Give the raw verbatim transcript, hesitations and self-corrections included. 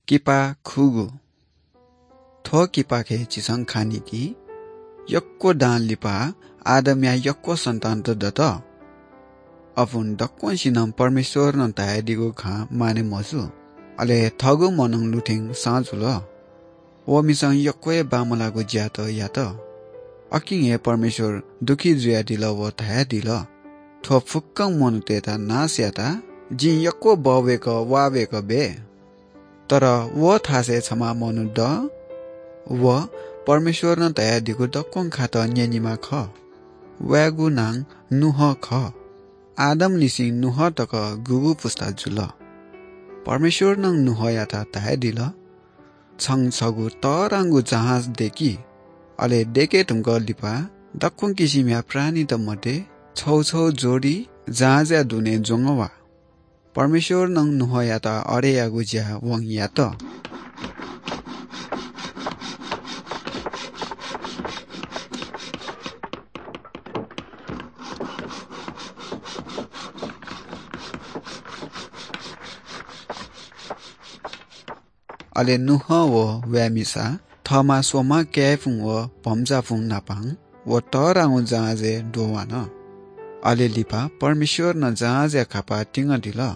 किपा खुगु। थ्व किपाखे झीसं खँ न्यंकी, यक्व दां लिपा आदमया यक्व सन्तान दत। अपुं दक्वंसिनं परमेश्वरं धयादीगु खँ माने मजू। अले थःगु मनूं लुथें सँ जुल। वमिसं यक्व हे बांमलाःगु ज्यात यात। अकिं हे परमेश्वर दुःखी जुयादिल व धयादिल, "थ्व फुक्कं मनूतय्त नाश यात जिं यक्व बवय्क वाःवय्क बये।" तर व थासय् छम्ह मनू द। व परमेश्वरं धयादीगु दक्वं खात न्यनेमाः खः। वयागु नां नोह खः। आदमलिसें नोह तक गुगु पुस्ता जुल। परमेश्वरं नोहयात धयादिल, "छं छगू तःधंगु जहाज दय्कि। अले दय्के धुंकः लिपा दक्वं किसिमया प्राणीत मध्ये छगू छगू जोडी जहाजया दुने ज्वंगः वा।" परमेश्वरं नोहयात अथे यायेगु ज्या वं यात। अले नोह व वया मिसा, थःम्हं स्वम्हं काय्‌पुं व भम्चापुं नापं व तःधंगु जहाजय् दुहां वन। अले लिपा परमेश्वरं जहाजया खापा तिंगदिल।